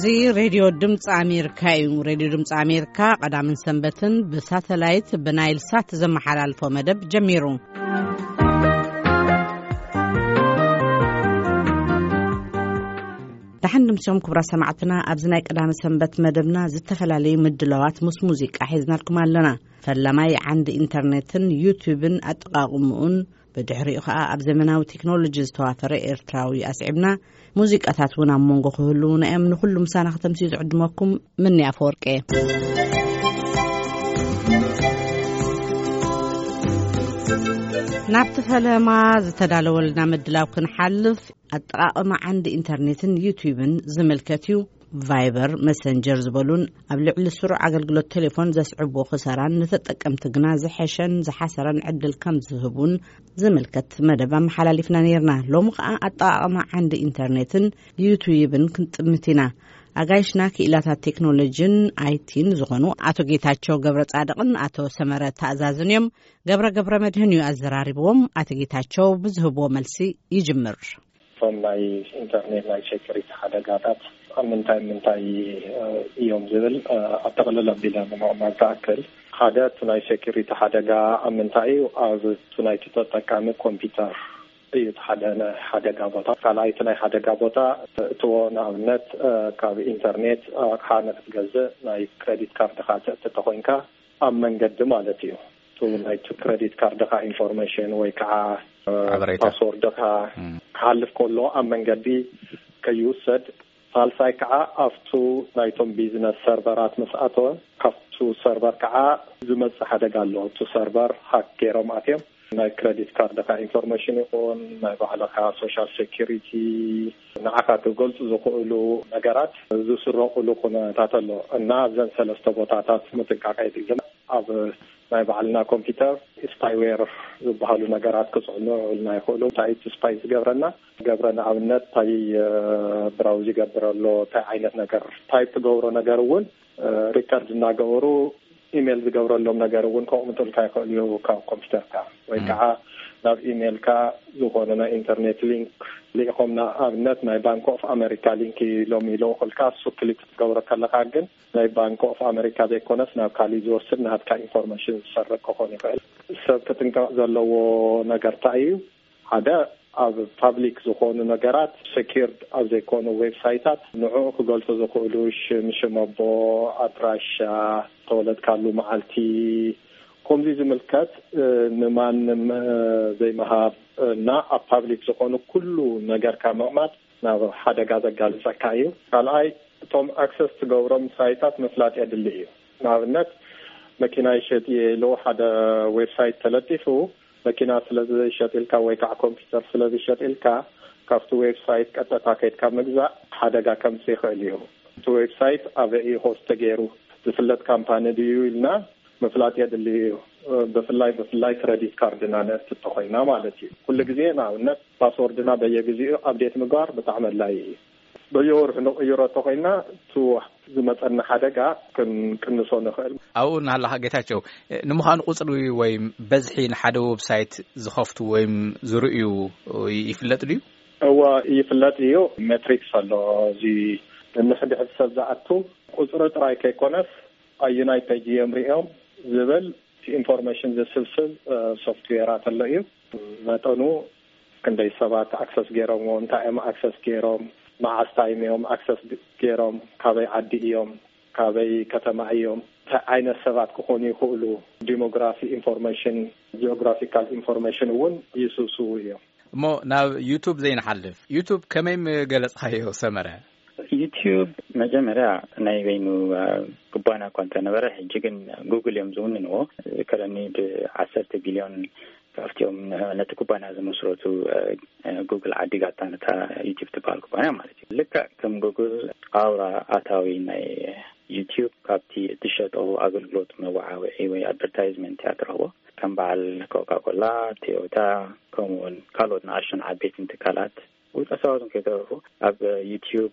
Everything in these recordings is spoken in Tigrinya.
እዚ ሬድዮ ድምፂ ኣሜሪካ እዩ። ሬድዮ ድምፂ ኣሜሪካ ቀዳምን ሰንበትን ብሳተላይት ብናይል ሳት ዘመሓላልፎ መደብ ጀሚሩ። ደሓን ድምፅኦም ክቡራት ሰማዕትና፣ ኣብዚ ናይ ቀዳመ ሰንበት መደብና ዝተፈላለዩ ምድላዋት ምስ ሙዚቃ ሒዝናልኩም ኣለና። ፈላማይ ዓንዲ ኢንተርኔትን ዩቲዩብን ኣጠቓቕምኡን፣ ብድሕሪኡ ኸኣ ኣብ ዘመናዊ ቴክኖሎጂ ዝተዋፈረ ኤርትራዊ ኣስዒብና፣ ሙዚቃታት እውን ኣብ መንጎ ክህልዉና እዮም። ንኹሉ ምሳና ከተምስዩ ዝዕድመኩም ምኒ ኣፈወርቂ እየ። ናብቲ ፈለማ ዝተዳለወልና ምድላው ክንሓልፍ፣ ኣጠቓቕማ ዓንዲ ኢንተርኔትን ዩቲዩብን ዝምልከት እዩ። ቫይበር፣ መሰንጀር ዝበሉን ኣብ ልዕሊ ስሩዕ ኣገልግሎት ቴሌፎን ዘስዕብዎ ክሳራን ንተጠቀምቲ ግና ዝሐሸን ዝሓሰረን ዕድል ከም ዝህቡን ዝምልከት መደብ ኣመሓላሊፍና ነይርና። ሎሚ ኸኣ ኣጠቓቕማ ዓንዲ ኢንተርኔትን ዩቱይብን ክንጥምት ኢና። ኣጋይሽና ክኢላታት ቴክኖሎጂን ኣይቲን ዝኾኑ ኣቶ ጌታቸው ገብረ ጻድቕን ኣቶ ሰመረ ተኣዛዝን እዮም። ገብረ ገብረ መድህን እዩ ኣዘራሪብዎም። ኣቶ ጌታቸው ብዝህብዎ መልሲ ይጅምር። እቶም ናይ ኢንተርኔት ናይ ሴኩሪቲ ሓደጋታት ኣብ ምንታይ ምንታይ እዮም ዝብል ኣጠቕልል ኣቢለ ንምቕማጥ ዝኣክል፣ ሓደ እቲ ናይ ሴኩሪቲ ሓደጋ ኣብ ምንታይ እዩ? ኣብ እቲ ናይቲ ተጠቃሚ ኮምፒውተር እዩ እቲ ሓደ ናይ ሓደጋ ቦታ። ካልኣይ እቲ ናይ ሓደጋ ቦታ እትዎ ንኣብነት ካብ ኢንተርኔት ኣቕሓ ንክትገዝእ ናይ ክሬዲት ካርድካ ተእትተ ኮይንካ ኣብ መንገዲ ማለት እዩ። እቲ ናይቲ ክሬዲት ካርድካ ኢንፎርሜሽን ወይ ከዓ ሓበሬታ። ፓስወርድካ እም። ክሓልፍ ከሎ ኣብ መንገዲ ከይውሰድ፣ ሳልሳይ ከዓ ኣብቱ ናይቶም ቢዝነስ ሰርቨራት ምስ ኣተወ ካብቱ ሰርቨር ከዓ ዝመፅእ ሓደጋ ኣሎ። እቱ ሰርቨር ሃክ ገይሮም ኣትዮም ናይ ክሬዲት ካርድካ ኢንፎርሜሽን ይኹን ናይ ባዕልካ ሶሻል ሴኪሪቲ ንዓኻ ክገልፁ ዝኽእሉ ነገራት ዝስረቑሉ ኩነታት ኣሎ እና ኣብዘን ሰለስተ ቦታታት ምጥንቃቄ የድሊ። ኣብ ናይ ባዕልና ኮምፒውተር ስፓይዌር ዝበሃሉ ነገራት ክፅዕኑ ይኽእሉ። እንታይ እቲ ስፓይ ዝገብረና ገብረ ንኣብነት እንታይ ብራውዝ ይገብር ኣሎ እንታይ ዓይነት ነገር ታይፕ ትገብሮ ነገር እውን ሪከርድ እናገበሩ ኢሜል ዝገብረሎም ነገር እውን ከቕምጡልካ ይኽእሉ እዩ ካብ ኮምፒውተርካ ወይ ከዓ ናብ ኢሜልካ ዝኾነ ናይ ኢንተርኔት ሊንክ ልኢኾም ንኣብነት ናይ ባንክ ኦፍ ኣሜሪካ ሊንክ ኢሎም ይልእኹልካ እሱ ክሊክ ክትገብሮ ከለካ ግን ናይ ባንክ ኦፍ ኣሜሪካ ዘይኮነስ ናብ ካሊእ ዝወስድ ናትካ ኢንፎርሜሽን ዝሰርቅ ክኾን ይኽእል። ሰብ ክጥንቀቕ ዘለዎ ነገር እንታይ እዩ? ሓደ ኣብ ፓብሊክ ዝኾኑ ነገራት ሴኪርድ ኣብ ዘይኮኑ ዌብሳይታት ንዕኡ ክገልፁ ዝኽእሉ ሽም ሽም ኣቦ ኣድራሻ ተወለድካሉ መዓልቲ ከምዚ ዝምልከት ንማንም ዘይምሃብ እና ኣብ ፓብሊክ ዝኾኑ ኩሉ ነገርካ ምቕማጥ ናብ ሓደጋ ዘጋልፀካ እዩ። ካልኣይ እቶም ኣክሰስ ትገብሮም ሳይታት ምፍላጥ የድሊ እዩ። ንኣብነት መኪና ይሸጥ እየ ኢሉ ሓደ ዌብሳይት ተለጢፉ መኪና ስለ ዝሸጥ ኢልካ ወይ ከዓ ኮምፒውተር ስለ ዝሸጥ ኢልካ ካብቲ ዌብሳይት ቀጥታ ከይድካ ምግዛእ ሓደጋ ከምፅእ ይኽእል እዩ። እቲ ዌብሳይት ኣበይ እዩ ሆስት ተገይሩ ዝፍለጥ ካምፓኒ ድዩ ኢልና ምፍላጥ የድሊ እዩ። ብፍላይ ብፍላይ ክረዲት ካርድና ነእትቶ ኮይና ማለት እዩ። ኩሉ ግዜ ንኣብነት ፓስወርድና በየግዜኡ ኣፕዴት ምግባር ብጣዕሚ ኣድላይ እዩ። በየወርሑ ንቕይሮ እንተኮይና እቲ ዝመፀና ሓደጋ ክንቅንሶ ንኽእል። ኣብኡ እናሃለኻ ጌታቸው፣ ንምዃኑ ቁፅሪ ወይ በዝሒ ንሓደ ዌብሳይት ዝኸፍቱ ወይም ዝርእዩ ይፍለጥ ድዩ? እወ ይፍለጥ እዩ። ሜትሪክስ ኣሎ። እዚ ንሕድሕድ ሰብ ዝኣቱ ቁፅሪ ጥራይ ከይኮነስ ኣየናይ ፔጅ እዮም ሪኦም ዝብል ኢንፎርሜሽን ዝስብስብ ሶፍትዌራት ኣሎ እዩ። መጠኑ ክንደይ ሰባት ኣክሰስ ገይሮምዎ፣ እንታይ እዮም ኣክሰስ ገይሮም፣ መዓስ ታይም እዮም ኣክሰስ ገይሮም፣ ካበይ ዓዲ እዮም፣ ካበይ ከተማ እዮም፣ እንታይ ዓይነት ሰባት ክኾኑ ይኽእሉ፣ ዲሞግራፊ ኢንፎርሜሽን፣ ጂኦግራፊካል ኢንፎርሜሽን እውን ይስብስቡ እዮም። እሞ ናብ ዩቱብ ዘይንሓልፍ፣ ዩቱብ ከመይ ምገለጽካዮ ሰመረ? ዩቲዩብ መጀመርያ ናይ በይኑ ኩባንያ እኳ እንተነበረ ሕጂ ግን ጉግል እዮም ዝውንንዎ። ከለኒ ብዓሰርተ ቢልዮን ካብቲኦም ነቲ ኩባንያ ዝመስረቱ ጉግል ዓዲጋታ ነታ ዩቲዩብ ትበሃል ኩባንያ ማለት እዩ። ልክዕ ከም ጉግል ኣውራ ኣታዊ ናይ ዩቲዩብ ካብቲ እትሸጦ ኣገልግሎት መወዓውዒ ወይ ኣድቨርታይዝመንት እያ ትረኽቦ። ከም በዓል ኮካኮላ፣ ቶዮታ ከምኡውን ካልኦት ንኣሽቱን ዓበይትን ትካላት ውልቀ ሰባት እውን ከይተረፉ ኣብ ዩቲዩብ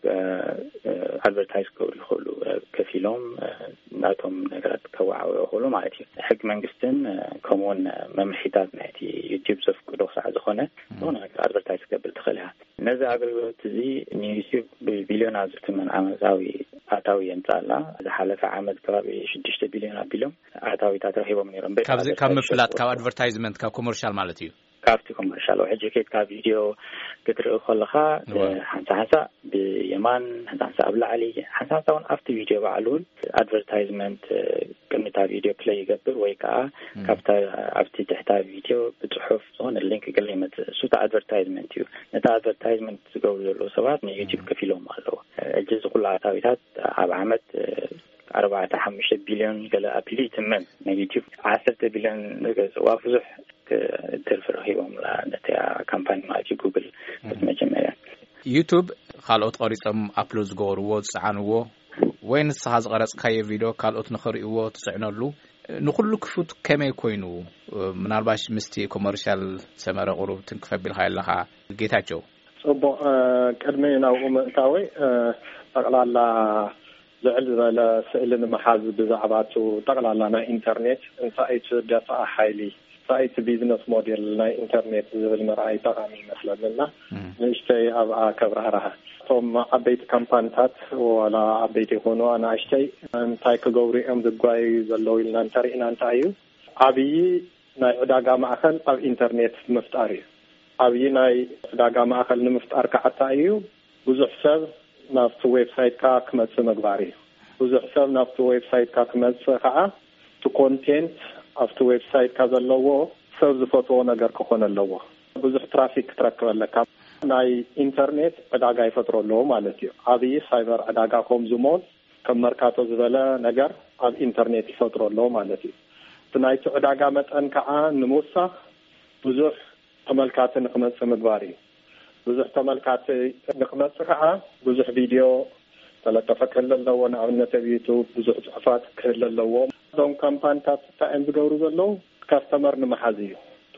ኣድቨርታይዝ ክገብሩ ይኽእሉ። ከፊሎም ናቶም ነገራት ከወዓውዑ ይኽእሉ ማለት እዩ። ሕጊ መንግስትን ከምኡውን መምርሒታት ናይቲ ዩቲዩብ ዘፍቅዶ ክሳዕ ዝኾነ ዝኾነ ነገር ኣድቨርታይዝ ክገብር ትኽእል እያ። ነዚ ኣገልግሎት እዚ ንዩቲዩብ ብቢልዮናት ዝትመን ዓመታዊ ኣታዊ የምጻላ። ዝሓለፈ ዓመት ከባቢ ሽዱሽተ ቢልዮን ኣቢሎም ኣታዊታት ረኺቦም ነይሮም። በቲ ካብ ምፍላጥ፣ ካብ ኣድቨርታይዝመንት፣ ካብ ኮመርሻል ማለት እዩ። ካብቲ ኮመርሻል ሕጂ ከይድ ካብ ቪድዮ ክትርኢ ከለኻ ሓንሳ ሓንሳ ብየማን ሓንሳ ሓንሳ ኣብ ላዕሊ ሓንሳ ሓንሳ እውን ኣብቲ ቪድዮ ባዕሉ እውን ኣድቨርታይዝመንት ቅድሚታ ቪድዮ ፕለይ ይገብር ወይ ከዓ ካብታ ኣብቲ ትሕታ ቪድዮ ብፅሑፍ ዝኾነ ሊንክ ገለ ይመፅእ። እሱ ኣድቨርታይዝመንት እዩ። ነቲ ኣድቨርታይዝመንት ዝገብሩ ዘለዉ ሰባት ንዩቲዩብ ከፊሎም ኣለዎ። ሕጂ እዚ ኩሉ ኣታዊታት ኣብ ዓመት ኣርባዕተ ሓሙሽተ ቢልዮን ገለ ኣቢሉ ይትመን። ናይ ዩቲዩብ ዓሰርተ ቢልዮን ገዝዋ ብዙሕ ትርፊ ረኺቦም ነቲ ካምፓኒ ማለት እዩ። ጉግል መጀመርያ ዩቱብ ካልኦት ቀሪጾም ኣፕሎድ ዝገበርዎ ዝጸዓንዎ ወይ ንስኻ ዝቐረጽካዮ ቪድዮ ካልኦት ንኽርእይዎ ትጽዕነሉ ንኹሉ ክፉት ከመይ ኮይኑ? ምናልባሽ ምስቲ ኮመርሻል ሰመረ ቁሩብ ትንክፍ ኣቢልካ ኣለኻ ጌታቸው። ጽቡቕ። ቅድሚ ናብኡ ምእታወይ ጠቕላላ ልዕል ዝበለ ስእሊ ንምሓዝ ብዛዕባ እቲ ጠቕላላ ናይ ኢንተርኔት እንታይ እቲ ደፋኣ ሓይሊ እንታይ እቲ ቢዝነስ ሞዴል ናይ ኢንተርኔት ዝብል ምርኣይ ጠቓሚ ይመስለኒ እና ንእሽተይ ኣብኣ ከብራህርሃ። እቶም ዓበይቲ ካምፓኒታት ዋላ ዓበይቲ ይኾኑ ኣናእሽተይ እንታይ ክገብሩ እዮም ዝጓዩ ዘለዉ ኢልና እንተሪእና እንታይ እዩ ዓብዪ ናይ ዕዳጋ ማእኸል ኣብ ኢንተርኔት ምፍጣር እዩ። ዓብዪ ናይ ዕዳጋ ማእኸል ንምፍጣር ከዓ እንታይ እዩ ብዙሕ ሰብ ናብቲ ዌብሳይትካ ክመፅእ ምግባር እዩ። ብዙሕ ሰብ ናብቲ ዌብሳይትካ ክመፅእ ከዓ እቲ ኮንቴንት ኣብቲ ዌብሳይትካ ዘለዎ ሰብ ዝፈትዎ ነገር ክኾን ኣለዎ። ብዙሕ ትራፊክ ክትረክብ ኣለካ። ናይ ኢንተርኔት ዕዳጋ ይፈጥሮ ኣለዎ ማለት እዩ። ዓብዪ ሳይበር ዕዳጋ ከምዚ ሞል ከም መርካቶ ዝበለ ነገር ኣብ ኢንተርኔት ይፈጥሮ ኣለዎ ማለት እዩ። እቲ ናይቲ ዕዳጋ መጠን ከዓ ንምውሳኽ ብዙሕ ተመልካቲ ንክመፅእ ምግባር እዩ። ብዙሕ ተመልካቲ ንክመፅእ ከዓ ብዙሕ ቪድዮ ተለጠፈ ክህል ኣለዎ። ንኣብነት ኣብ ዩቱብ ብዙሕ ፅሑፋት ክህል ኣለዎ። እዞም ካምፓኒታት እንታይ እዮም ዝገብሩ ዘለዉ? ካስተመር ንምሓዝ እዩ።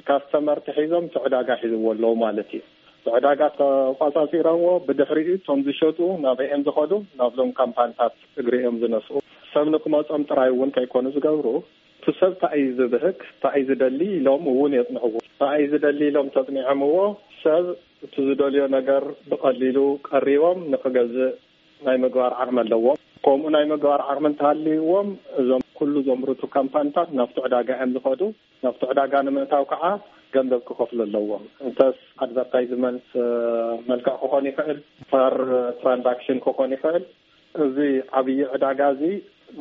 ካስተመር ተሒዞም እቲ ዕዳጋ ሒዝዎ ኣለዉ ማለት እዩ። እቲ ዕዳጋ ተቋፃፂሮምዎ ብድሕሪኡ እቶም ዝሸጡ ናበይ እዮም ዝኸዱ? ናብዞም ካምፓኒታት እግሪ እዮም ዝነስኡ። ሰብ ንክመፆም ጥራይ እውን ከይኮኑ ዝገብሩ እቲ ሰብ እንታይ እዩ ዝብህግ፣ እንታይ እዩ ዝደሊ ኢሎም እውን የፅንዕዎ። እንታይ እዩ ዝደሊ ኢሎም ተፅኒዖምዎ ሰብ እቲ ዝደልዮ ነገር ብቐሊሉ ቀሪቦም ንክገዝእ ናይ ምግባር ዓቕሚ ኣለዎም። ከምኡ ናይ ምግባር ዓቕሚ እንተሃልይዎም እዞም ኩሉ ዘምርቱ ካምፓኒታት ናብቲ ዕዳጋ እዮም ዝኸዱ። ናብቲ ዕዳጋ ንምእታው ከዓ ገንዘብ ክኸፍሉ ኣለዎም። እንተስ ኣድቨርታይዝመንት መልክዕ ክኾን ይኽእል፣ ፐር ትራንዛክሽን ክኾን ይኽእል። እዚ ዓብዪ ዕዳጋ እዚ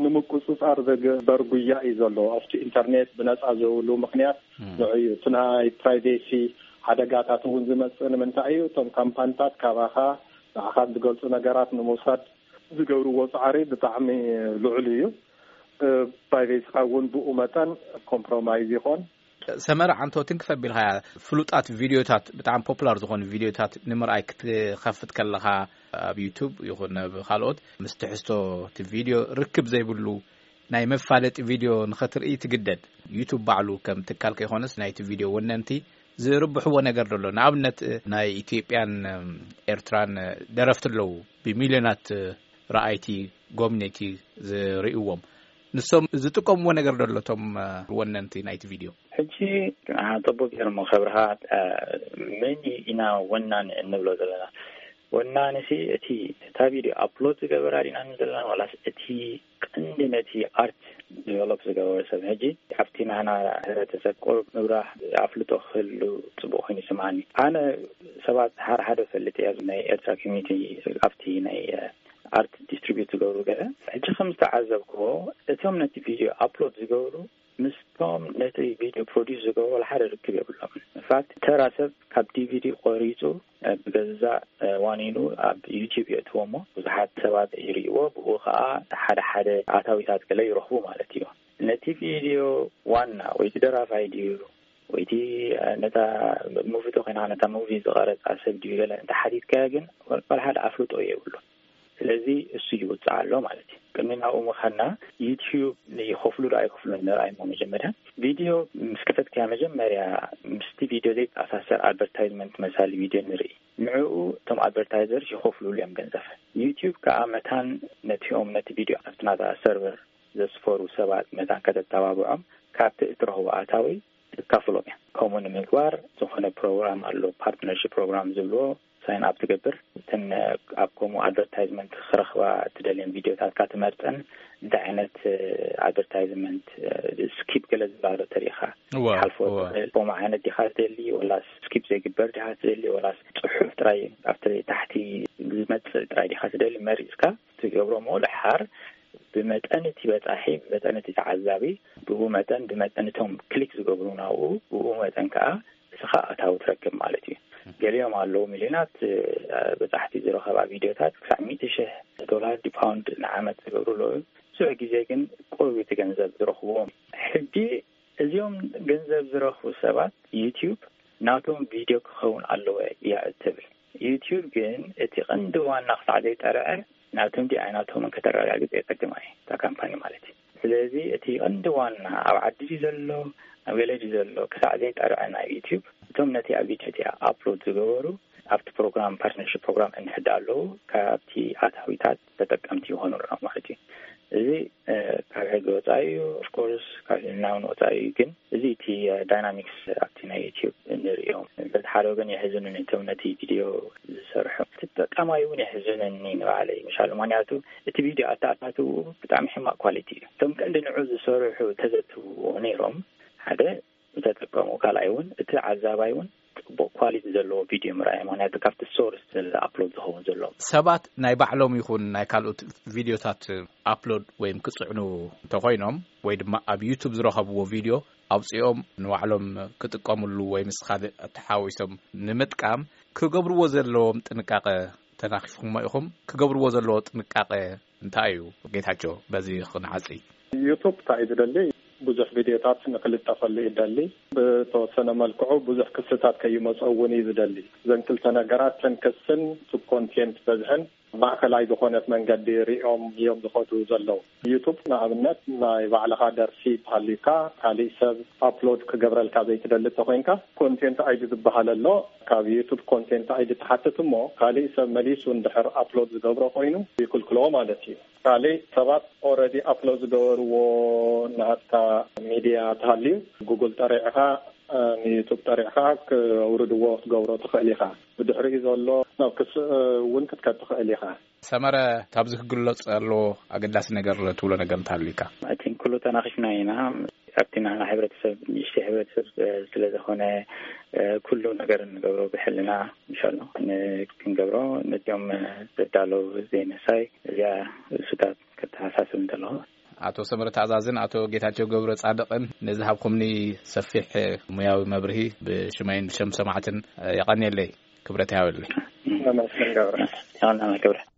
ንምቁፅፃር ዝግበር ጉያ እዩ ዘሎ ኣብቲ ኢንተርኔት ብነፃ ዝህብሉ ምክንያት ንዑ እዩ። እቲ ናይ ፕራይቬሲ ሓደጋታት እውን ዝመፅእ ንምንታይ እዩ? እቶም ካምፓኒታት ካባኻ ንዓኻ ዝገልፁ ነገራት ንምውሳድ ዝገብርዎ ፃዕሪ ብጣዕሚ ልዑል እዩ። ፕራይቬሲኻ እውን ብኡ መጠን ኮምፕሮማይዝ ይኾን። ሰመረ ዓንቶ ትንክፍ ኣቢልካያ ፍሉጣት ቪድዮታት ብጣዕሚ ፖፑላር ዝኾኑ ቪድዮታት ንምርኣይ ክትኸፍት ከለኻ ኣብ ዩቱብ ይኹን ኣብ ካልኦት ምስ ትሕዝቶ እቲ ቪድዮ ርክብ ዘይብሉ ናይ መፋለጢ ቪድዮ ንኸትርኢ ትግደድ። ዩቱብ ባዕሉ ከም ትካል ከይኮነስ ናይቲ ቪድዮ ወነንቲ ዝርብሕዎ ነገር ደሎ ንኣብነት ናይ ኢትዮጵያን ኤርትራን ደረፍቲ ኣለዉ ብሚልዮናት ረኣይቲ ጎብነይቲ ዝርእዎም ንሶም ዝጥቀምዎ ነገር ደሎ እቶም ወነንቲ ናይቲ ቪድዮ። ሕጂ ጽቡቅ ገርሞ ከብርሃ መን ኢና ወናኒ እንብሎ ዘለና? ወናኒ ሲ እቲ እታ ቪድዮ ኣፕሎድ ዝገበራ ዲና ንብል ዘለና ዋላስ እቲ ቀንዲ ነቲ ኣርት ዲቨሎፕ ዝገበረ ሰብ? ሕጂ ኣብቲ ናህና ሕብረተሰብ ቁሩብ ምብራህ ኣፍልጦ ክህሉ ጽቡቅ ኮይኑ ይስምዓኒ። ኣነ ሰባት ሓደ ሓደ ፈልጥ እያ ናይ ኤርትራ ኮሚኒቲ ኣብቲ ናይ ኣርት ዲስትሪቢዩት ዝገብሩ ገለ ሕጂ ከም ዝተዓዘብክዎ እቶም ነቲ ቪድዮ ኣፕሎድ ዝገብሩ ምስቶም ነቲ ቪድዮ ፕሮዲስ ዝገብሩ ሓደ ርክብ የብሎም። ንፋት ተራ ሰብ ካብ ዲቪዲ ቆሪፁ ብገዛእ ዋኒኑ ኣብ ዩቲብ የእትዎ እሞ ብዙሓት ሰባት ይርእይዎ። ብኡ ከዓ ሓደ ሓደ ኣታዊታት ገለ ይረኽቡ ማለት እዩ። ነቲ ቪድዮ ዋና ወይ ደራፋይ ድዩ ወይቲ ነታ ሙቪ ተኮይና ነታ ሙቪ ዝቀረፃ ሰብ ድዩ ገለ እንተሓቲትካዮ ግን ወላ ሓደ ኣፍልጦ የብሉ። ስለዚ እሱ ይውፅእ ኣሎ ማለት እዩ። ቅድሚ ናብኡ ምኻድና ዩቲዩብ ይኸፍሉ ዶ ኣይከፍሉን ንርኣይ እሞ መጀመርያ ቪድዮ ምስ ከፈትካያ መጀመርያ ምስቲ ቪድዮ ዘይተኣሳሰር ኣድቨርታይዝመንት መሳሊ ቪድዮ ንርኢ። ንዕኡ እቶም ኣድቨርታይዘርስ ይኸፍሉሉ እዮም ገንዘብ። ዩቲዩብ ከዓ መታን ነቲኦም ነቲ ቪድዮ ኣብቲ ናታ ሰርቨር ዘስፈሩ ሰባት መታን ከተተባብዖም ካብቲ እትረኽቦ ኣታዊ ትካፍሎም እያ። ከምኡ ንምግባር ዝኾነ ፕሮግራም ኣሎ፣ ፓርትነርሽፕ ፕሮግራም ዝብልዎ፣ ሳይን ኣፕ ትገብር። እተን ኣብ ከምኡ ኣድቨርታይዝመንት ክረኽባ እትደልየን ቪድዮታትካ ትመርፀን፣ እንታይ ዓይነት ኣድቨርታይዝመንት፣ ስኪፕ ገለ ዝብላ ዶ ተሪኢኻ እወ፣ ሓልፎ እወ። ትኽእል። ከምኡ ዓይነት ዲኻ ትደሊ፣ ወላስ ስኪፕ ዘይግበር ዲኻ ትደሊ፣ ወላስ ጽሑፍ ጥራይ ኣብቲ ታሕቲ ዝመጽእ ጥራይ ዲኻ ትደሊ፣ መሪጽካ ትገብሮ። ምኡ ድሓር ብመጠን እቲ በጻሒ፣ ብመጠን እቲ ተዓዛቢ፣ ብኡ መጠን፣ ብመጠን እቶም ክሊክ ዝገብሩ ናብኡ፣ ብኡ መጠን ከኣ እስኻ ኣታዊ ትረክብ ማለት እዩ። ገሊኦም ኣለዉ ሚልዮናት፣ እ፣ በጻሕቲ ዝረኸባ ቪድዮታት ክሳዕ ሚእቲ ሽሕ ዶላር ዲ ፓውንድ ንዓመት ዝገብሩ ኣለዉ። ብዙሕ ግዜ ግን ቁሩብ እቲ ገንዘብ ዝረኽብዎም። ሕጂ እዚኦም ገንዘብ ዝረኽቡ ሰባት ዩቲዩብ ናቶም ቪድዮ ክኸውን ኣለዎ እያ እትብል። ዩቲዩብ ግን እቲ ቀንዲ ዋና ክሳዕ ዘይጠርዐ ናቶም ድዩ ኣይናቶምን ከተረጋግጽ የጸግማ እዩ፣ እታ ካምፓኒ ማለት እዩ። ስለዚ እቲ ቀንዲ ዋና ኣብ ዓዲ ድዩ ዘሎ፣ ኣብ ገለ ድዩ ዘሎ ክሳዕ ዘይጠርዐ ናይ ዩቲዩብ፣ እቶም ነቲ ኣብ ቪድዮ እቲኣ ኣፕሎድ ዝገበሩ ኣብቲ ፕሮግራም፣ ፓርትነርሽፕ ፕሮግራም እንሕዳ ኣለዉ፣ ካብቲ ኣታዊታት ተጠቀምቲ ይኾኑልና ማለት እዩ። እዚ፣ እ፣ ካብ ሕጊ ወጻኢ እዩ፣ ኦፍኮርስ ካብ ሕልናውን ወጻኢ እዩ። ግን እዚ እቲ፣ እ፣ ዳይናሚክስ ኣብቲ ናይ ዩቲዩብ እንርእዮም፣ በቲ ሓደ ወገን የሕዝኑኒ፣ እቶም ነቲ ቪድዮ ዝሰርሑ ተጠቃማይ እውን የሕዝኑኒ ንባዕለይ፣ ምሻሉ። ምኽንያቱ እቲ ቪድዮ ኣተኣታትውኡ ብጣዕሚ ሕማቕ ኳሊቲ እዩ። እቶም ቀንዲ ንዑ ዝሰርሑ ተዘትውዎ ነይሮም፣ ሓደ ተጠቀሙ፣ ካልኣይ እውን እቲ ዓዛባይ እውን ጽቡቕ ኳሊቲ ዘለዎ ቪድዮ ምርኣይ፣ ምኽንያቱ ካብቲ ሶርስ ኣፕሎድ ዝኸውን ዘሎ። ሰባት ናይ ባዕሎም ይኹን ናይ ካልኦት ቪድዮታት ኣፕሎድ ወይም ክጽዕኑ እንተኾይኖም፣ ወይ ድማ ኣብ ዩቱብ ዝረኸብዎ ቪድዮ ኣውጺኦም ንባዕሎም ክጥቀምሉ ወይ ምስ ካልእ ተሓዊሶም ንምጥቃም ክገብርዎ ዘለዎም ጥንቃቐ ተናኺፍኩሞ ኢኹም። ክገብርዎ ዘለዎ ጥንቃቐ እንታይ እዩ? ጌታቸው፣ በዚ ክንዓጽይ። ዩቱብ እንታይ እዩ ዝደሊ? ብዙሕ ቪድዮታት ንክልጠፈሉ እዩ ዝደሊ። ብተወሰነ መልክዑ ብዙሕ ክስታት ከይመጾ እውን እዩ ዝደሊ። እዘን ክልተ ነገራት፣ ተን ክስን ዩቱብ ኮንቴንት በዝሕን፣ ማእከላይ ዝኾነት መንገዲ ሪኦም እዮም ዝኸዱ ዘለዉ። ዩቱብ ንኣብነት ናይ ባዕልኻ ደርፊ ተሃልዩካ፣ ካሊእ ሰብ ኣፕሎድ ክገብረልካ ዘይትደሊ እንተኾይንካ፣ ኮንቴንት ኣይዲ ዝበሃል ኣሎ። ካብ ዩቱብ ኮንቴንት ኣይዲ ትሓትት እሞ፣ ካሊእ ሰብ መሊሱ እንድሕር ኣፕሎድ ዝገብሮ ኮይኑ ይክልክሎ ማለት እዩ። ካሊእ ሰባት ኦረዲ ኣፕሎድ ዝገበርዎ ናትካ ሚድያ ተሃልዩ፣ ጉግል ጠሪዕኻ፣ እ፣ ንዩቱብ ጠሪዕኻ ክውርድዎ ክትገብሮ ትኽእል ኢኻ። ብድሕሪኡ ዘሎ ናብ ክስ እውን ክትከድ ትኽእል ኢኻ። ሰመረ፣ ካብዚ ክግለጽ ኣለዎ ኣገዳሲ ነገር ትብሎ ነገር እንተሃልዩካ? ኣይ ቲንክ ኩሉ ተናኺፍና ኢና። ኣብቲ ናና ሕብረተሰብ፣ ንእሽተይ ሕብረተሰብ፣ እ፣ ስለ ዝኾነ፣ እ፣ ኩሉ ነገር እንገብሮ ብሕልና፣ ምሻሎ፣ ን-፣ ክንገብሮ ነዚኦም፣ እ፣ ዘዳለዉ ዘይምሕሳይ፣ እዚኣ ርእሱታት ከተሓሳስብ እንተለኹ። ኣቶ ሰመረ ተኣዛዝን ኣቶ ጌታቸው ገብረ ጻድቕን ንዝሃብኩምኒ ሰፊሕ ሙያዊ መብርሂ ብሽመይን ብሸም ሰማዕትን የቐንየለይ። ክብረት ይሃበለይ። ነመስገን ገብረ። ይቐንየለይ ክብረት።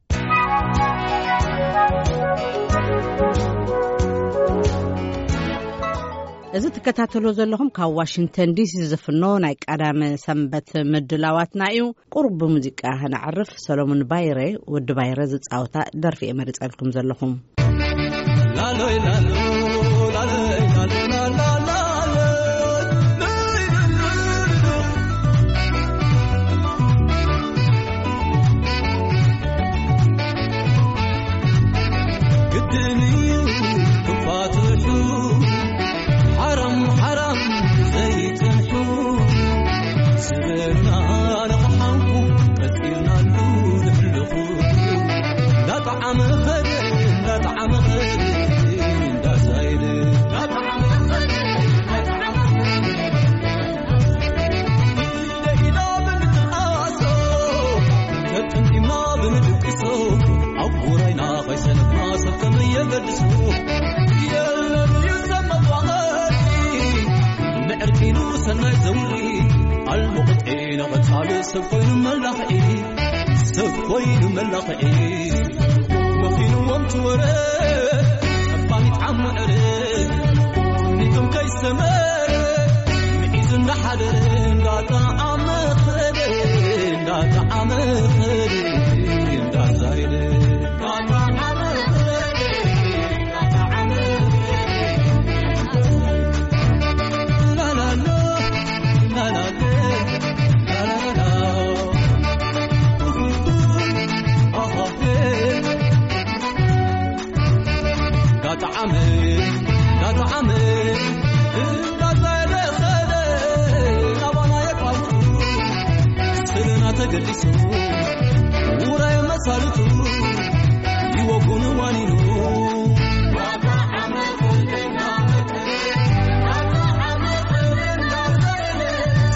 እዚ ትከታተሎ ዘለኹም ካብ ዋሽንግተን ዲሲ ዝፍኖ ናይ ቀዳመ ሰንበት ምድላዋትና እዩ። ቁሩብ ብሙዚቃ ከነዕርፍ፣ ሰሎሙን ባይረ፣ ወዲ ባይረ ዝጻወታ ደርፊ እየ መሪጸልኩም ዘለኹም። ላሎይ ላሎ፣ ላሎይ ላሎ፣ ላላ፣ ላሎይ፣ ላሎይ፣ ላሎይ። ግድን እዩ ክፋትሑ፣ ሓራም ሓራም ዘይጸንሑ፣ ስበሩና ንኽሓንኩ ቀጺልናሉ ንሕልኹ። እንዳጠዓመ ኸደ፣ እንዳጠዓመ ኸደ፣ እንዳሳይደ፣ እንዳጠዓመ ኸደ፣ እንዳጠዓመ ኸደ። ኢዳ ኢዳ ብምትንኣሶ፣ ተጠምጢምና ብምድቅሶ፣ ኣብ ጉራይና ከይሰነፍና ሰብ ከመይ የገድሶ። የለን እዩ ሰብ መዋቐሪ፣ ንዕርቂኑ ሰናይ ዘውሪ፣ ኣልሙቕጢ ንቐጻሊ ሰብ ኮይኑ መላኽዒ፣ ሰብ ኮይኑ መላኽዒ። መኺንዎም ትወረ፣ ጠባሚት ዓሙ ዕረ፣ ኒቶም ከይሰመረ፣ ምዒዙ እንዳሓደረ፣ እንዳጠዓመ ኸደ፣ እንዳጠዓመ ኸደ፣ እንዳዛይደ፣ እንዳጠዓመ ኸደ፣ እንዳጠዓመ ኸደ። ላላሎ፣ ላላሎ፣ ላላሎ። ተገዲሱ ውራይ መሳልቱ ይወጉን ዋኒኑ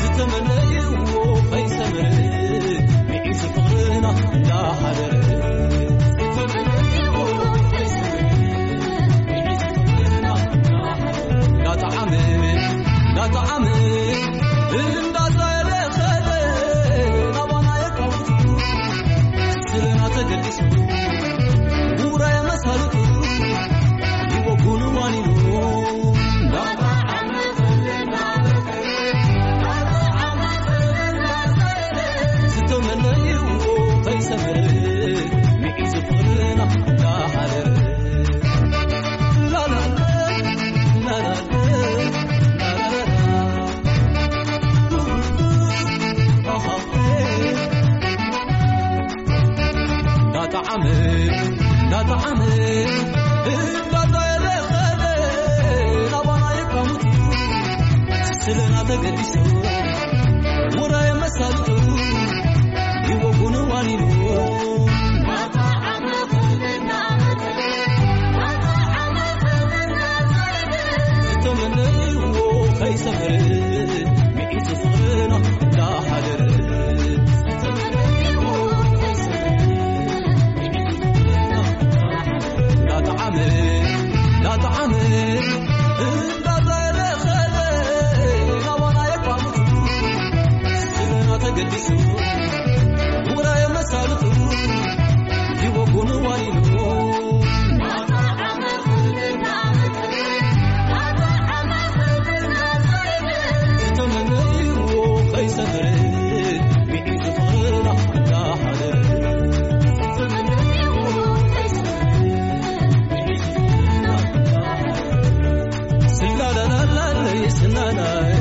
ዝተመነይዎ ከይሰመረ ሚዒሱ ፍቕርና እንዳሓደረ እንዳጠዓመ እንዳጠዓመ እንዳዛለ ኸደ ናባና የቃውቱ ስለና ተገዲሱ ውራይ መሳልቱ ይወጉን ዋኒኑ ዝተመነይዎ ከይሰመረ ሚዒዙ ፍቕርና እንዳሓደረ ላላለ ላላለ ላላለ እንዳጠዓመ እንዳጠዓመ እንዳዛየለ ኸደ ናባና የቃሙት ስለና ተገዲሱ ውራይ መሳልቱ ይወጉን ዋኒኑ ዝተመነይዎ ከይሰመረ ሚዒዙ ፍቕርና እንዳሓደረ እንዳጠዓመ እንዳጠዓመ እንዳዛየለ ኸደ ናባና የቋምቱ ስለና ተገዲሱ ውራይ መሳልቱ ይወጉን ዋኒኑ ዝተመነይዎ ከይሰመረ ሚዒዙ ፍቕርና እንዳሓደረ ስላላላላ ስናናይ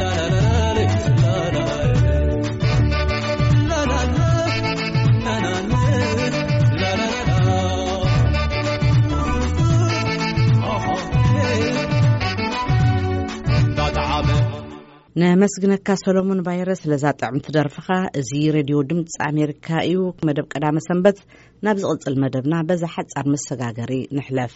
ላላላላ ስናናይ ነመስግነካ ሰሎሞን ባይረ ስለዛ ጥዕምቲ ደርፍኻ። እዚ ሬድዮ ድምፂ ኣሜሪካ እዩ። መደብ ቀዳመ ሰንበት ናብ ዝቕፅል መደብና በዛ ሓፃር መሰጋገሪ ንሕለፍ።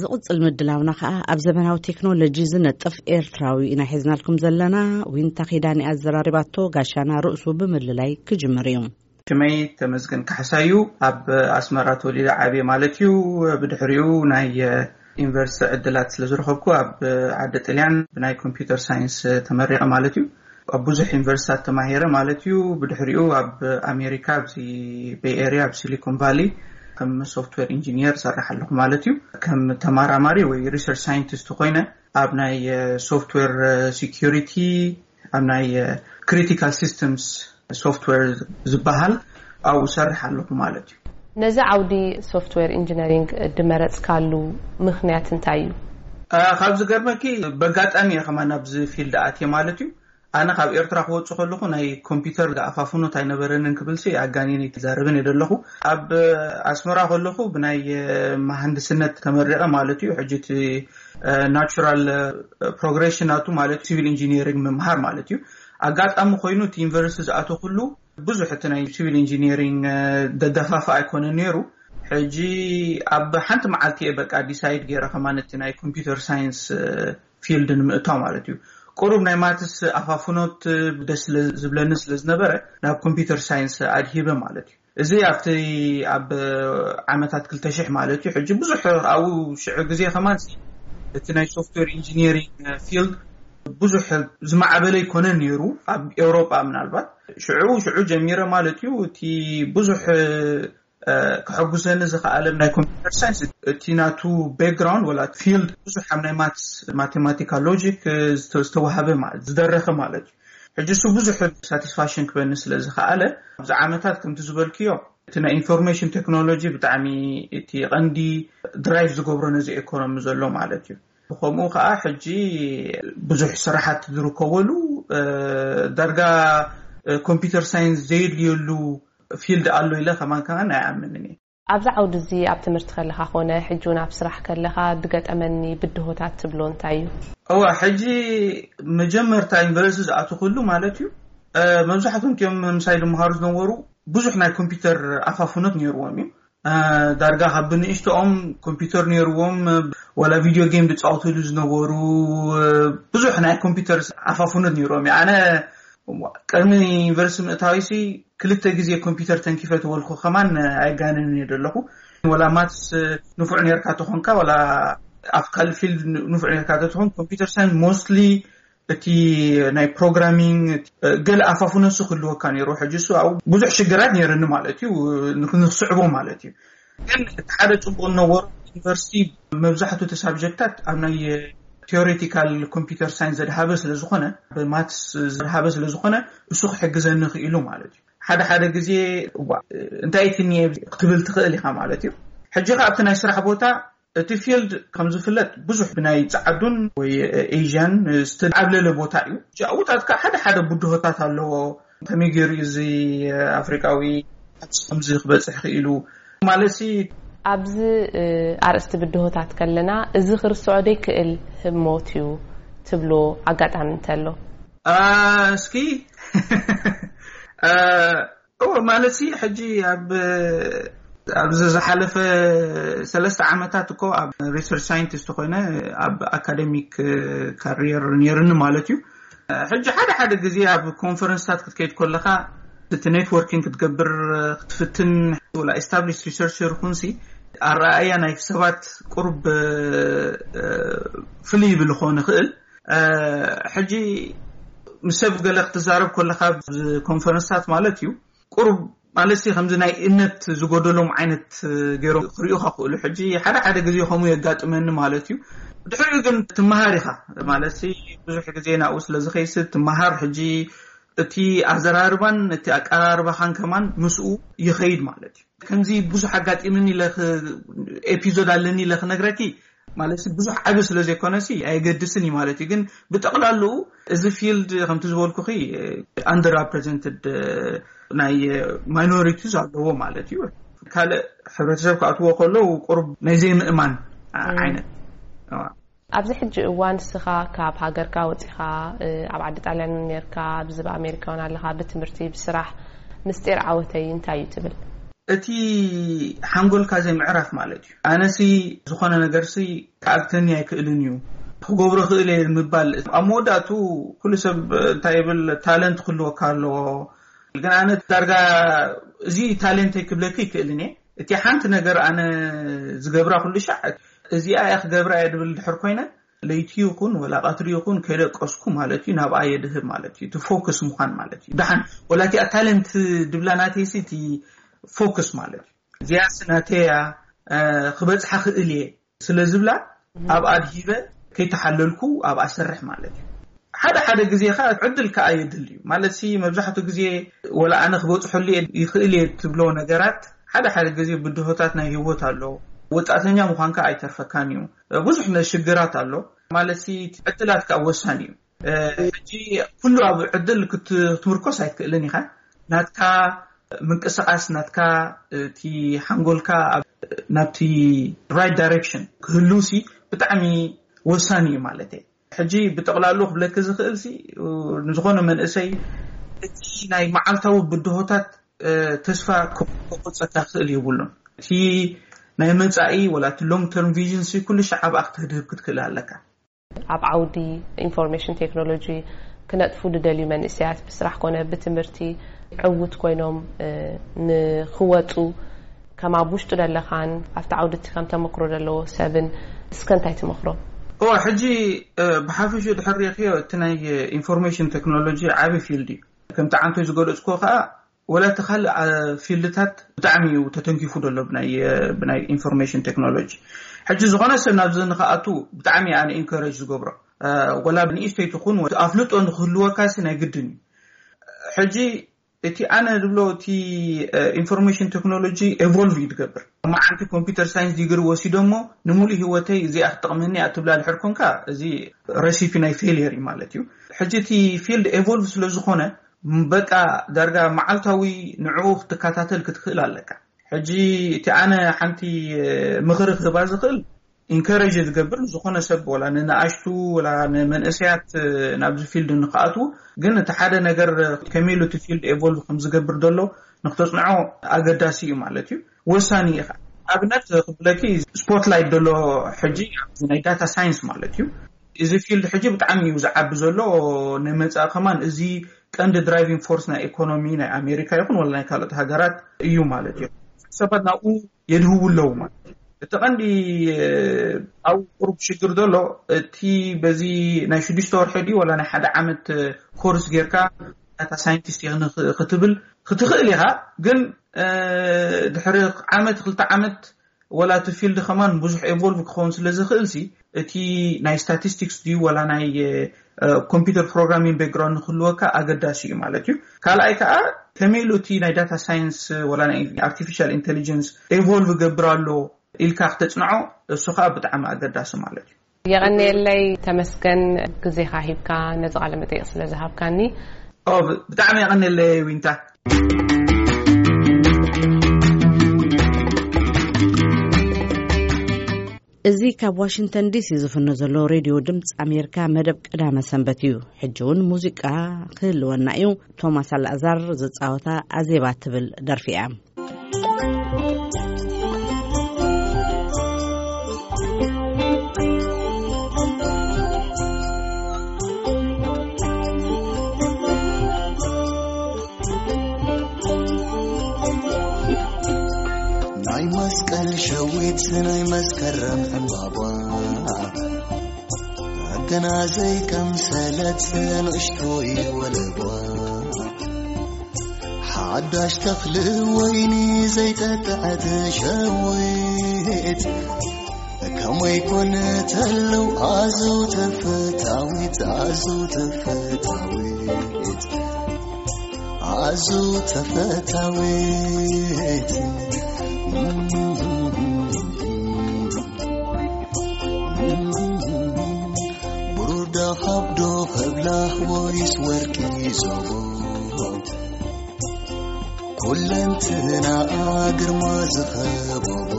ዝቕጽል ምድላውና ኸኣ ኣብ ዘመናዊ ቴክኖሎጂ ዝነጥፍ ኤርትራዊ ኢና ሒዝናልኩም ዘለና። ዊንታ ኺዳን እያ ኣዘራሪባቶ፣ ጋሻና ርእሱ ብምልላይ ክጅምር እዩ። ሽመይ ተመስገን ካሕሳዩ ኣብ ኣስመራ ተወሊደ ዓብየ ማለት እዩ። ብድሕሪኡ ናይ ዩኒቨርሲቲ ዕድላት ስለ ዝረኸብኩ ኣብ ዓዲ ጥልያን ብናይ ኮምፒውተር ሳይንስ ተመሪቐ ማለት እዩ። ኣብ ብዙሕ ዩኒቨርሲታት ተማሂረ ማለት እዩ። ብድሕሪኡ ኣብ ኣሜሪካ ኣብዚ ቤይ ኤርያ ኣብ ሲሊኮን ቫሊ ከም ሶፍትዌር ኢንጂኒየር እሰርሕ ኣለኹ ማለት እዩ። ከም ተመራማሪ ወይ ሪሰርች ሳይንቲስት ኮይነ ኣብ ናይ ሶፍትዌር ሴኩሪቲ ኣብ ናይ ክሪቲካል ሲስተምስ ሶፍትዌር ዝበሃል ኣብኡ እሰርሕ ኣለኹ ማለት እዩ። ነዚ ዓውዲ ሶፍትዌር ኢንጂነሪንግ ድመረጽካሉ ምኽንያት እንታይ እዩ? ካብ ዝገርመኪ በጋጣሚ እየ ከማን ኣብዚ ፊልድ ኣትየ ማለት እዩ። ኣነ ካብ ኤርትራ ክወጽእ ከለኹ ናይ ኮምፒውተር ኣፋፍኖት ኣይነበረንን ክብልሲ ኣጋኒነ ኣይዛረብን እየ ዘለኹ። ኣብ ኣስመራ ከለኹ ብናይ መሃንድስነት ተመሪቐ ማለት እዩ። ሕጂ እቲ ናቹራል ፕሮግሬሽን ናቱ ማለት ሲቪል ኢንጂኒሪንግ ምምሃር ማለት እዩ። ኣጋጣሚ ኮይኑ እቲ ዩኒቨርሲቲ ዝኣተኹሉ ብዙሕ እቲ ናይ ሲቪል ኢንጂኒሪንግ ደደፋፋ ኣይኮነን ነይሩ። ሕጂ ኣብ ሓንቲ መዓልቲ እየ በቃ ዲሳይድ ገይረ ከማን እቲ ናይ ኮምፒውተር ሳይንስ ፊልድ ንምእታው ማለት እዩ። ቁሩብ ናይ ማትስ ኣፋፍኖት ደስ ስለ ዝብለኒ ስለ ዝነበረ ናብ ኮምፒውተር ሳይንስ ኣድሂበ ማለት እዩ። እዚ ኣብቲ ኣብ ዓመታት ክልተ ሽሕ ማለት እዩ። ሕጂ ብዙሕ ኣብኡ ሽዑ ግዜ ከማን እቲ ናይ ሶፍትዌር ኢንጂኒሪንግ ፊልድ ብዙሕ ዝማዕበለ ኣይኮነን ነይሩ ኣብ ኤውሮጳ ምናልባት ሽዑ ሽዑ ጀሚረ ማለት እዩ። እቲ ብዙሕ ከሐጉሰኒ ዝኸኣለ ናይ ኮምፒውተር ሳይንስ እቲ ናቱ ባክግራውንድ ወላ ፊልድ ብዙሕ ኣብ ናይ ማትስ ማቴማቲካ ሎጂክ ዝተዋሃበ ዝደረኸ ማለት እዩ። ሕጂ እሱ ብዙሕ ሳቲስፋክሽን ክበኒ ስለ ዝኸኣለ ኣብዚ ዓመታት ከምቲ ዝበልክዮ እቲ ናይ ኢንፎርሜሽን ቴክኖሎጂ ብጣዕሚ እቲ ቀንዲ ድራይቭ ዝገብሮ ነዚ ኢኮኖሚ ዘሎ ማለት እዩ። ከምኡ ከዓ ሕጂ ብዙሕ ስራሓት ዝርከበሉ ዳርጋ ኮምፒውተር ሳይንስ ዘየድልየሉ ፊልድ ኣሎ ኢለ ከማን ከማን ኣይኣምንን እየ። ኣብዚ ዓውዲ እዚ ኣብ ትምህርቲ ከለኻ ኮነ ሕጂ እውን ኣብ ስራሕ ከለኻ ዝገጠመኒ ብድሆታት ትብሎ እንታይ እዩ? እዋ ሕጂ መጀመርታ ዩኒቨርሲቲ ዝኣተኹሉ ማለት እዩ። መብዛሕትኦም እቲኦም ምሳይ ዝመሃሩ ዝነበሩ ብዙሕ ናይ ኮምፒውተር ኣፋፍኖት ነይርዎም እዩ። ዳርጋ ካብ ብንእሽተኦም ኮምፒውተር ነይርዎም፣ ወላ ቪድዮ ጌም ዝፃወትሉ ዝነበሩ ብዙሕ ናይ ኮምፒውተር ኣፋፍኖት ነይርዎም እዩ። ኣነ ቅድሚ ዩኒቨርሲቲ ምእታዊሲ ክልተ ግዜ ኮምፒውተር ተንኪፈ ተበልኩ ከማን ኣይጋነንን እየ ዘለኹ። ወላ ማትስ ንፉዕ ነርካ ተኾንካ፣ ወላ ኣብ ካልእ ፊልድ ንፉዕ ነርካ ተኾን፣ ኮምፒውተር ሳይንስ ሞስትሊ እቲ ናይ ፕሮግራሚንግ ገለ ኣፋፉነሱ ክህልወካ ነይሩ። ሕጂ እሱ ኣብኡ ብዙሕ ሽግራት ነይርኒ ማለት እዩ፣ ንክስዕቦ ማለት እዩ። ግን እቲ ሓደ ፅቡቅ ነበሩ፣ ዩኒቨርሲቲ መብዛሕቱ እቲ ሳብጀክታት ኣብ ናይ ቴዎሬቲካል ኮምፒውተር ሳይንስ ዘድሃበ ስለዝኾነ፣ ብማትስ ዘድሃበ ስለዝኾነ፣ እሱ ክሕግዘኒ ክኢሉ ማለት እዩ። ሓደ ሓደ ግዜ እንታይ ትኒ ክትብል ትኽእል ኢኻ ማለት እዩ። ሕጂ ከ ኣብቲ ናይ ስራሕ ቦታ እቲ ፊልድ ከም ዝፍለጥ ብዙሕ ብናይ ጸዓዱን ወይ ኤዥያን ዝተዓብለለ ቦታ እዩ። ጃውታትካ ሓደ ሓደ ብድሆታት ኣለዎ። ከመይ ገይሩ እዚ ኣፍሪቃዊ ኣብዚ ከምዚ ክበጽሕ ክኢሉ ማለት ሲ? ኣብዚ ኣርእስቲ ብድሆታት ከለና፣ እዚ ክርስዖ ዘይክእል ህሞት እዩ ትብሎ ኣጋጣሚ እንተሎ? እስኪ ማለት ሲ ሕጂ ኣብ ኣብዚ ዝሓለፈ ሰለስተ ዓመታት እኮ ኣብ ሪሰርች ሳይንቲስት ኮይነ ኣብ ኣካደሚክ ካሪየር ነይርኒ ማለት እዩ። ሕጂ ሓደ ሓደ ግዜ ኣብ ኮንፈረንስታት ክትከይድ ከለካ እቲ ኔትወርኪንግ ክትገብር ክትፍትን፣ ወላ ኤስታብሊሽ ሪሰርቸር ኩንሲ ኣረኣእያ ናይ ሰባት ቁሩብ ፍልይ ይብል ክኾን ይኽእል። ሕጂ ምስ ሰብ ገለ ክትዛረብ ከለካ ኮንፈረንስታት ማለት እዩ፣ ቁሩብ ማለት ከምዚ ናይ እምነት ዝጎደሎም ዓይነት ገይሮም ክርእዩካ ክእሉ። ሕጂ ሓደ ሓደ ግዜ ከምኡ የጋጥመኒ ማለት እዩ። ድሕሪኡ ግን ትመሃር ኢኻ ማለት ብዙሕ ግዜ ናብኡ ስለ ዝኸይስ ትመሃር። ሕጂ እቲ ኣዘራርባን እቲ ኣቀራርባኻን ከማን ምስኡ ይኸይድ ማለት እዩ። ከምዚ ብዙሕ ኣጋጢምኒ ኢለ ክ- ኤፒዞድ ኣለኒ ኢለ ክነግረኪ ማለት ብዙሕ ዓቢ ስለ ዘይኮነሲ ኣየገድስን እዩ ማለት እዩ። ግን ብጠቕላልኡ እዚ ፊልድ ከምቲ ዝበልኩኺ ኣንደር ሪፕሬዘንትድ ናይ ማይኖሪቲስ ኣለዎ ማለት እዩ። ካልእ ሕብረተሰብ ክኣትዎ ከለዉ ቁሩብ ናይ ዘይምእማን ዓይነት። ኣብዚ ሕጂ እዋን ንስኻ ካብ ሃገርካ ወፂኻ ኣብ ዓዲ ጣልያን እውን ነርካ፣ ኣብዚ ኣብ ኣሜሪካ እውን ኣለኻ፣ ብትምህርቲ ብስራሕ ምስጢር ዓወተይ እንታይ እዩ ትብል? እቲ ሓንጎልካ ዘይምዕራፍ ማለት እዩ። ኣነሲ ዝኾነ ነገርሲ ክኣግተኒ ኣይክእልን እዩ፣ ክገብሮ ክእል እየ ምባል። ኣብ መወዳእቱ ኩሉ ሰብ እንታይ ይብል፣ ታለንት ክህልወካ ኣለዎ። ግን ኣነ ዳርጋ እዚ ታለንተይ ክብለኪ ይክእልን እየ። እቲ ሓንቲ ነገር ኣነ ዝገብራ ኩሉ ሻዕ እዚኣ እያ ክገብራ እየ ድብል ድሕር ኮይነ፣ ለይቲ ይኹን ወላ ቀትሪ ይኹን ከይደቀስኩ ማለት እዩ፣ ናብኣ የድህብ ማለት እዩ። እቲ ፎክስ ምዃን ማለት እዩ። ደሓን ወላ እቲኣ ታለንት ድብላ ናተይሲ እቲ ፎክስ ማለት እዩ። እዚኣስ ናተያ ክበፅሓ ክእል እየ ስለ ዝብላ ኣብ ኣድሂበ ከይተሓለልኩ ኣብኣ ሰርሕ ማለት እዩ። ሓደ ሓደ ግዜ ከዓ ዕድል ከዓ የድል እዩ ማለት ሲ። መብዛሕትኡ ግዜ ወላ ኣነ ክበፅሐሉ እየ ይኽእል እየ ትብሎ ነገራት ሓደ ሓደ ግዜ ብድሆታት ናይ ህይወት ኣሎ። ወጣተኛ ምዃንካ ኣይተርፈካን እዩ። ብዙሕ ሽግራት ኣሎ ማለት ሲ። ዕድላት ከዓ ወሳኒ እዩ። ሕጂ ኩሉ ኣብ ዕድል ክትምርኮስ ኣይትክእልን ኢኻ። ናትካ ምንቅስቃስ ናትካ እቲ ሓንጎልካ ናብቲ ራይት ዳይሬክሽን ክህሉ ሲ ብጣዕሚ ወሳኒ እዩ ማለት እየ። ሕጂ ብጠቕላሉ ክብለኪ ዝኽእል ሲ ንዝኾነ መንእሰይ እቲ ናይ መዓልታዊ ብድሆታት ተስፋ ክቆፀካ ክእል የብሉን። እቲ ናይ መፃኢ ወላ እቲ ሎንግ ተርም ቪዥን ሲ ኩሉ ሻዕ ኣብኣ ክትህድህብ ክትክእል ኣለካ። ኣብ ዓውዲ ኢንፎርሜሽን ቴክኖሎጂ ክነጥፉ ዝደልዩ መንእሰያት ብስራሕ ኮነ ብትምህርቲ ዕውት ኮይኖም ንክወፁ ከም ኣብ ውሽጡ ዘለኻን ኣብቲ ዓውዲ እቲ ከም ተመክሮ ዘለዎ ሰብን እስከ እንታይ ትመክሮም? እዋ ሕጂ ብሓፈሽኡ ድሕር ሪእክዮ እቲ ናይ ኢንፎርሜሽን ቴክኖሎጂ ዓቢ ፊልድ እዩ። ከምቲ ዓንቶይ ዝገለፅኩዎ ከዓ ወላ እቲ ካልእ ፊልድታት ብጣዕሚ እዩ ተተንኪፉ ዘሎ ብናይ ኢንፎርሜሽን ቴክኖሎጂ። ሕጂ ዝኾነ ሰብ ናብዚ ንክኣቱ ብጣዕሚ ኣነ ኢንኮሬጅ ዝገብሮ፣ ወላ ንእሽተይ ትኹን ኣፍልጦ ንክህልወካ ሲ ናይ ግድን እዩ። ሕጂ እቲ ኣነ ዝብሎ እቲ ኢንፎርሜሽን ቴክኖሎጂ ኤቮልቭ እዩ ዝገብር። መዓንቲ ኮምፒውተር ሳይንስ ዲግሪ ወሲዶ እሞ ንምሉእ ህይወተይ እዚኣ ክትጠቕመኒ እያ ትብላ ድሕር ኮንካ እዚ ረሲፒ ናይ ፌልየር እዩ ማለት እዩ። ሕጂ እቲ ፊልድ ኤቮልቭ ስለ ዝኾነ በቃ ዳርጋ መዓልታዊ ንዕኡ ክትከታተል ክትክእል ኣለካ። ሕጂ እቲ ኣነ ሓንቲ ምኽሪ ክህባ ዝኽእል፣ ኢንከረጅ ዝገብር ዝኾነ ሰብ፣ ወላ ንንኣሽቱ፣ ወላ ንመንእሰያት ናብዚ ፊልድ ንክኣትዉ፣ ግን እቲ ሓደ ነገር ከመይ ኢሉ እቲ ፊልድ ኤቮልቭ ከም ዝገብር ዘሎ ንክተጽንዖ ኣገዳሲ እዩ ማለት እዩ። ወሳኒ እዩ። ኣብነት ክብለኪ፣ ስፖትላይት ዘሎ ሕጂ ኣብዚ ናይ ዳታ ሳይንስ ማለት እዩ። እዚ ፊልድ ሕጂ ብጣዕሚ እዩ ዝዓቢ ዘሎ። ንመጻኢ ከማን እዚ ቀንዲ ድራይቪንግ ፎርስ ናይ ኢኮኖሚ ናይ ኣሜሪካ ይኹን ወላ ናይ ካልኦት ሃገራት እዩ ማለት እዩ። ሰባት ናብኡ የድህቡ ኣለዉ ማለት እዩ። እቲ ቀንዲ ኣብኡ ቁሩብ ሽግር ዘሎ፣ እቲ በዚ ናይ ሽዱሽተ ወርሒ ድዩ ወላ ናይ ሓደ ዓመት ኮርስ ጌርካ ዳታ ሳይንቲስት ክትብል ክትኽእል ኢኻ። ግን ድሕሪ ዓመት ክልተ ዓመት ወላ እቲ ፊልድ ከማን ብዙሕ ኤቮልቭ ክኸውን ስለ ዝኽእል ሲ፣ እቲ ናይ ስታቲስቲክስ ድዩ ወላ ናይ ኮምፒውተር ፕሮግራሚንግ ባክግራውንድ ንክህልወካ ኣገዳሲ እዩ ማለት እዩ። ካልኣይ ከዓ፣ ከመይ ኢሉ እቲ ናይ ዳታ ሳይንስ ወላ ናይ ኣርቲፊሻል ኢንቴሊጀንስ ኤቮልቭ ገብር ኣሎ ኢልካ ክተፅንዖ፣ እሱ ከዓ ብጣዕሚ ኣገዳሲ ማለት እዩ። የቐንየለይ ተመስገን፣ ግዜኻ ሂብካ ነዚ ቃለ መጠይቕ ስለ ዝሃብካኒ። ብጣዕሚ የቐንየለይ ዊንታ። እዚ ካብ ዋሽንግተን ዲሲ ዝፍኖ ዘሎ ሬድዮ ድምፂ ኣሜሪካ፣ መደብ ቀዳመ ሰንበት እዩ። ሕጂ እውን ሙዚቃ ክህልወና እዩ። ቶማስ ኣልኣዛር ዝፃወታ ኣዜባ ትብል ደርፊ እያ። ናይ መስቀል ሸዊት ናይ መስከረም ዕምባባ፣ ገና ዘይቀምሰለት ንእሽቶይ ወለባ፣ ሓዳሽ ተኽሊ ወይኒ ዘይጠጥዐት ሸዊት፣ ከመይ ኮን ተለው ኣዝዩ ተፈታዊት፣ ኣዝዩ ተፈታዊት፣ ኣዝዩ ተፈታዊት። ብሩር ዶ ካብ ዶ ከብላ ወይስ ወርቂ ዞቦ? ኩለንትናኣ ግርማ ዝኸበቦ፣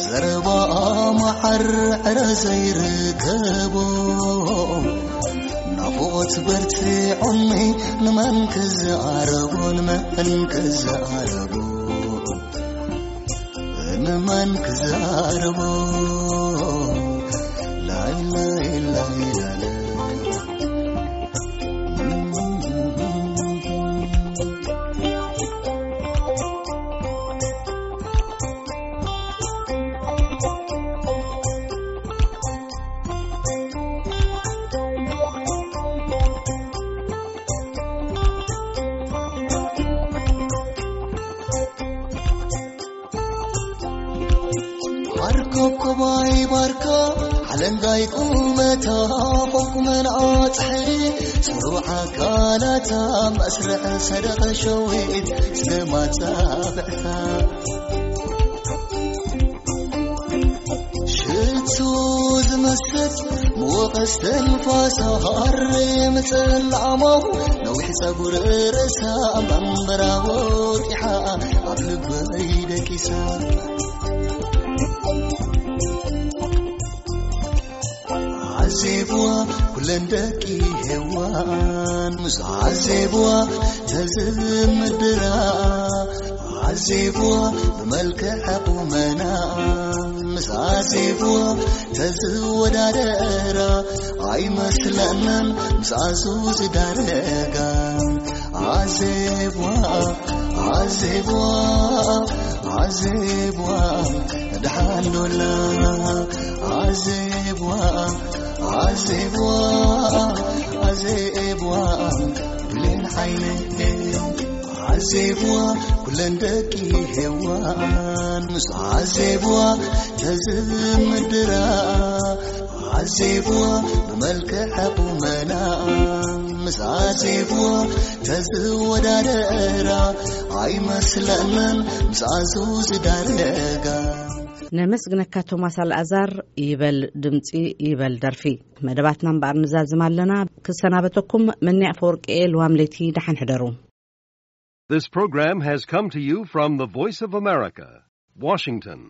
ዘረባኣ መዓር ዕረ ዘይርከቦ፣ ናፍቖት በርቲዖኒ ንመን ክዛረቦ፣ ንመን ክዛረቦ፣ ንመን ክዛረቦ? ላይላይ ላይላለ። ዓርኮኮባይ ባርካ ሓለንጋይ ቁመታ፣ ቁመንኣ ጽሕሪ ጽሩብ ኣካላታ፣ መስርዕ ሰደቐ ሸዊት ስማጻ ብዕታ። ሽቱ ዝመስል መወቐስ ተንፋሳ፣ ሃሪ ምጽላሞ፣ ነዊሕ ጸጉሪ ርእሳ፣ መንበራ ወጢሓ፣ ኣብ ልበይ ደቂሳ። ዓዜብዋ ኩለን ደቂ ሄዋን፣ ምስ ዓዜብዋ ተዝምድራ፣ ዓዜብዋ ብመልክዕ ቁመና፣ ምስ ዓዜብዋ ተዝወዳደራ ኣይመስለንን፣ ምስ ኣዙ ዝዳረጋ። ዓዜብዋ፣ ዓዜብዋ፣ ዓዜብዋ፣ ደሓን ዶላ። ዓዜብዋ፣ ዓዜብዋ፣ ዓዜብዋ፣ ብሌን ዓይነይ። ዓዜብዋ ኩለን ደቂ ሄዋን፣ ምስ ዓዜብዋ ተዝምድራ፣ ዓዜብዋ ብመልክዕ ቁመና፣ ምስ ዓዜብዋ ተዝወዳደራ ኣይመስለንን፣ ምስ ኣዙ ዝዳረጋ። ነመስግነካ ቶማስ ኣልኣዛር። ይበል ድምጺ፣ ይበል ደርፊ። መደባትና እምበኣር ንዛዝም ኣለና። ክሰናበተኩም መኒ ኣፈወርቂ እየ። ልዋም ለይቲ ደሓን ሕደሩ። This program has come to you from the Voice of America, Washington.